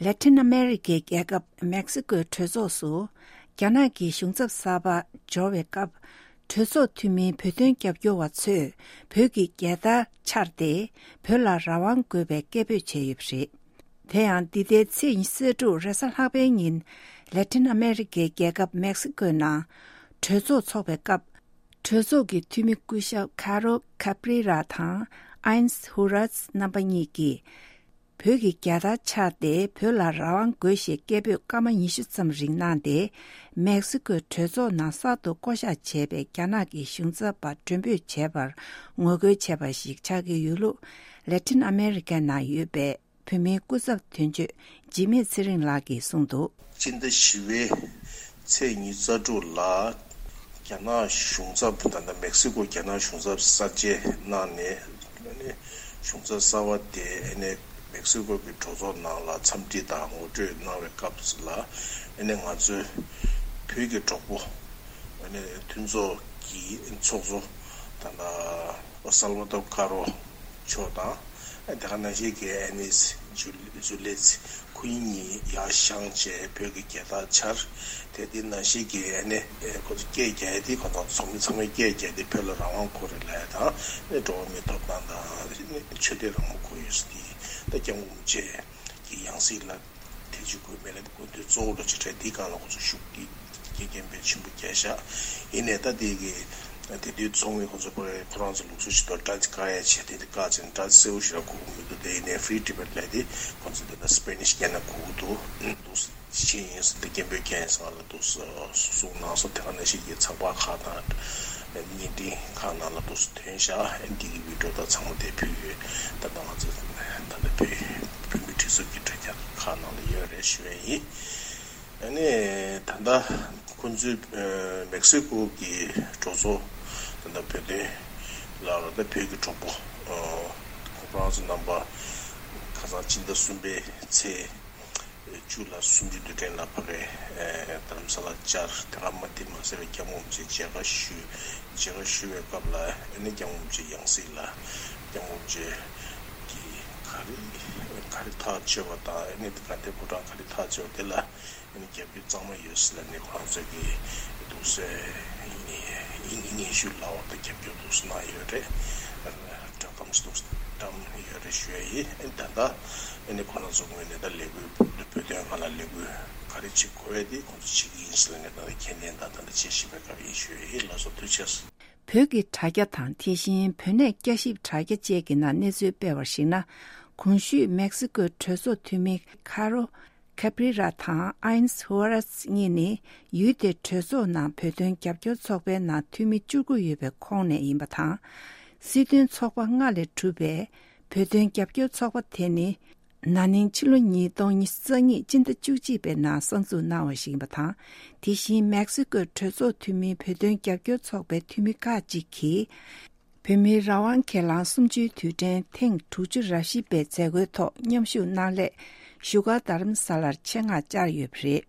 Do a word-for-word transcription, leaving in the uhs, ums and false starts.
ལེ་ཊིན་ཨ་མེ་རི་ཀའི་རྒྱལ་ཁབ་མེག་སི་ཀོའི་གྲོས་ཚོགས་སུ། རྒྱ་ནག་གི་གཞུང་ཚབ་གསར་པ་འབྱོར་བའི་སྐབས། གྲོས་ཚོགས་འཐུས་མིའི་བོད་དོན་རྒྱབ་སྐྱོར་བ་ཚོས་བོད་ཀྱི་རྒྱལ་དར་འཕྱར་ཏེ། བོད་ལ་རང་དབང་དགོས་པའི་སྐད་འབོད་བྱས་ཡོད་པ་རེད། དེ་ཡང་འདི་ཟླའི་ཚེས་ཉི་ཤུ་རྩ་དྲུག་རེས་གཟའ་ལྷག་པའི་ཉིན། ལེ་ཊིན་ཨ་མེ་རི་ཀའི་རྒྱལ་ཁབ་མེག་སི་ཀོའི་ནང་གྲོས་ཚོགས་འཚོགས་པའི་སྐབས། གྲོས་ཚོགས་ཀྱི་འཐུས་མི་སྐུ་ཞབས་ཁ་རོ་ཁ་པྲི་ར་དང་ཨའིན་སི་ཧུ་རཱས་རྣམ་པ་གཉིས་ཀྱིས། བོད་ཀྱི་རྒྱལ་དར་འཕྱར་ཏེ། བོད་ལ་རང་དབང་དགོས་ཞེས་སྐད་འབོད་སྐར་མ་ཉི་ཤུ་ཙམ་རིང་གནང་སྟེ། མེག་སི་ཀོའི་གྲོས་ཚོགས་ནང་གསར་དུ་བསྐོ་གཞག་བྱས་པའི་རྒྱ་ནག་གི་གཞུང་ཚབ་པ་མགྲོན་འབོད་བྱས་པར་ངོ་རྒོལ་བྱས་པ་ཞིག་ཆགས་ཀྱི་ཡོད་ལུགས། ལེ་ཊིན་ཨ་མེ་རི་ཀའི་ནང་ཡོད་པའི་བོད་མིའི་སྐུ་ཚབ་དོན་གཅོད་འཇིགས་མེད་ཚེ་རིང་ལགས་ཀྱིས་གསུངས་འདུག། སྤྱི་ཟླ་བཞི་པའི་ཚེས་ཉི་ཤུ་རྩ་དྲུག་ལ་རྒྱ་ནག་གཞུང་ཚབ། ད་ལྟ་མེག་སི་ཀོ་རྒྱ་ནག་གཞུང་ཚབ་གསར་བརྗེ་གནང་ནས། ཨ་ནི་གཞུང་ཚབ་གསར་པ་དེ་ཨ་ནི་མེག་སི་ཀོ་གི་གྲོས་ཚོགས་ནང་ལ་འཚམས་འདྲི་དང་ངོ་སྤྲོད་གནང་བའི་སྐབས་སུ་ལ། ཨ་ནི་ང་ཚོའི་བོད་ཀྱི་གྲོགས་པོ། ཨ་ནི་མཐུན་ཚོགས་ཀྱི་ཚོགས་གཙོ་ད་ལྟ་སལ་བ་དོ་ཀ་རོ་མཆོག་དང་། དེ་ག་ནང་བཞིན་གྱི་ཨ་ནི་ཇུ་ཇུ་ལེ་ཚི། ཁོ་གཉིས་ཡར་བཞེངས་བྱས་བོད་ཀྱི་རྒྱལ་དར་འཕྱར། དེ་དེ་ནང་བཞིན་གྱི་ཨ་ནི་ཁོ་ཚོ་སྐད་རྒྱག་ཡ་དེ། ཁོ་ཚོ་ཚོགས་མི་ཚང་མས་སྐད་རྒྱག་དེ། བོད་ལ་རང་དབང་དགོས་རེད་ལབ་ཡ་དང་། ཨ་ནི་འགྲོ་བ་མིའི་ཐོབ་ཐང་དང་། ཨ་ནི་ཆོས་དད་རང་མོས་དགོས་ཡོད་ཟེར་དེ། ད་སྐྱབས་མགོན་རིན་པོ་ཆེ་གི་ཡང་སྲིད་ལ་ཐེ་ཇུས་དགོས་མེད་ལ། དགོས་འདུན་གཙོ་བོ་ལ་ཆེ་གྲས་དེའི་སྒང་ལ་ཁོ་ཚོ་ཤུགས་ཀྱིས་སྐད་སྐད་འབོད་ཆེན་པོ་རྒྱག་ཤག། ཡིན་ནའི་ད་དེ་གི་དེ་དུས་ཚོགས་མི་ཁོ་ཚོ་ཕ་གི་ཁོ་རང་ཚོ་ལུགས་སྲོལ་ཞིག་འདུག། སྒྲ་བཀག་ཡ་བྱས། དེ་དེ་བཀག་བྱས་ནས་སྒྲ་གསལ་པོ་ཞིག་ལ་གོ་གི་མི་འདུག། དེ་ཡིན་ནའི་ཧྥི་རི་ཌི་བེཊ་ལབ་དེ་ཁོ་ཚོ་དེ་ལ་སི་པེ་ནིཤ་སྐད་ནང་གོ་གི་འདུག། འདུག་ཕྱིན་ཡིན་ཟེར་ཏེ་སྐད་འབོད་རྒྱག་ཡིན་ཟེར་ང་ལ་འདུག་གསུངས་གནང་སོང་། དེ་ག་ནང་བཞིན་གྱི་ཚགས་པར་ཁག་དང་བརྙན་འཕྲིན་ཁག་ནང་ལ་འདུག་སེ་ཐོན་ཤག། ཨ་ནི་འདི་གི་བི་ཌིའོ་དག་ཚང་མ་དེ་ཕུལ་ཡོད། ད་ལྟ་ང་ཚོ་ད་ལྟ་བོད་བོད་མི་སྒྲིག་འཛུགས་ཀྱི་དྲ་རྒྱ་ཁག་ནང་ལ་ཡོད་རེད་ཞུ་ཡ་ཡིན། ཨ་ནི་ད་ལྟ་ཁོང་ཚོའི་ཨ་མེག་སི་ཀོ་གི་གྲོས་ཚོགས་ད་ལྟ་བོད་དོན་ལ་ད་ལྟ་བོད་ཀྱི་གྲོགས་པོ་ཨ་ཁོ་རང་ཚོ་རྣམ་པ་ཁ་སང་སྤྱི་ཟླ་གསུམ་པའི་ཚེས་བཅུ་ལ་གསུམ་བཅུའི་དུས་དྲན་ལ་ཕ་གིའི་ཨ་རྡ་རམ་ས་ལར་བཅར། དེ་ག་མ་དེ་མ་ཟད་པའི་སྐྱབས་མགོན་རིན་པོ་ཆེ་མཇལ་ཁ་ཞུས། མཇལ་ཁ་ཞུ་བའི་སྐབས་ལ་ཨ་ནི་སྐྱབས་མགོན་རིན་པོ་ཆེའི་ཡང་སྲིད་ལ་སྐྱབས་མགོན་རིན་པོ་ཆེ་གིས་ག་རེ་ག་རེ་ཐག་གཅོད་པ་དང་། ཨ་ནི་དེ་ག་དེ་བོད་དོན་ག་རེ་ཐག་གཅོད་པ་དེ་ལ་ཨ་ནི་རྒྱབ་སྐྱོར་གཙང་མ་ཡོད་ཟེར་ལབ་ནས་ཁོ་རང་ཚོ་གིས་འདུག་སེ་སྙན་ཞུ་ལབ་པ་དང་རྒྱབ་སྐྱོར་འདུག་སེ་གནང་ཡོད་རེད། བསྒྲགས་གཏམ་ཞིག་འདུག་སེ་བཀྲམ་ཡོད་རེད་ཞུ་ཡ་ཡིན། ཨ་ནི་ད་ལྟ་ཨ་ནི་ཁོ་རང་ཚོ་ངོས་ནས་ད་ལས་འགུལ་བོད་དོན་སྒང་ལ་ལས་འགུལ་ག་རེ་བྱེད་དགོས་ཡ་དེ་ཁོང་ཚོ་བྱེད་ཀྱི་ཡིན་ཟེར་ལབ་ནས་ད་ལྟ་ཁས་ལེན་དང་ད་ལྟ་བྱེད་བཞིན་པའི་སྐབས་ཡིན་ཞུ་ཡ་ཡིན། ལགས་སོ། ཐུགས་རྗེ་ཆེ། བོད་ཀྱི་དྲ་རྒྱ་དང་དེ་བཞིན་བོད་གནས་བསྐྱར་ཞིབ་དྲ་རྒྱ་བཅས་ཀྱི་ནང་གནས་ཚུལ་སྤེལ་བར་གཞིགས་ན། གོང་ཞུས་མེག་སི་ཀོའི་གྲོས་ཚོགས་འཐུས་མི་ཁ་རོ་ཁ་པྲི་ར་དང་ཨའིན་སི་ཧུ་ཨ་རཱས་གཉིས་ནི་ཡུལ་དེའི་གྲོས་ཚོགས་ནང་བོད་དོན་རྒྱབ་སྐྱོར་ཚོགས་པའི་ནང་འཐུས་མི་བཅུ་དགུ་ཡོད་པའི་ཁོངས་ནས་ཡིན་པ་དང་། སྲིད་དོན་ཚོགས་པ་ལྔ་ལས་གྲུབ་པའི་བོད་དོན་རྒྱབ་སྐྱོར་ཚོགས་པ་དེ་ནི། ན་ནིང་ཕྱི་ལོ་ཉིས་སྟོང་ཉི་ཤུ་རྩ་གཉིས་སྤྱི་ཟླ་བཅུ་གཅིག་པའི་ནང་གསར་འཛུགས་གནང་བ་ཞིག་ཡིན་པ་དང་། དེ་བཞིན་མེག་སི་ཀོའི་གྲོས་ཚོགས་འཐུས་མིའི་བོད་དོན་རྒྱབ་སྐྱོར་ཚོགས་པའི་འཐུས་མི་ཁག་ཅིག་གིས། བོད་མིའི་རང་དབང་སྒེར་ལངས་གསུམ་བཅུའི་དུས་དྲན་ཐེངས་དྲུག་ཅུ་ར་བཞི་པའི་མཛད་སྒོའི་ཐོག་མཉམ་ཞུགས་གནང་སླད་བཞུགས་སྒར་རྡ་རམ་ས་ལར་ཆེད་མངགས་བཅར་ཡོད་པ་རེད།